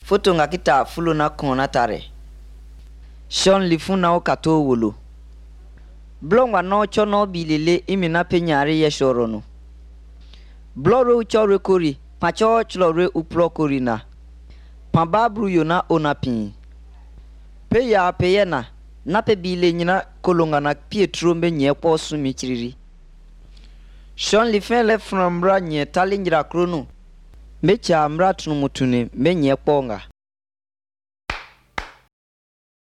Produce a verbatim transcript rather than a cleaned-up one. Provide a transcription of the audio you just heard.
Foto nga kita fulo na kona tare. Sean lifuna o kato wolo. Blongwa no chono bilele imina penyari ye shorono. Bloro uchore kori, pacho chlore upro korina. Pambabru yona onapin. Pe ya peyena, nape bile nyina kolonga na Pietro mbe nye po sumi chiriri. Sean lifin le frambra nye talinjira krono. Mecha amra tunumutune mbe nye ponga.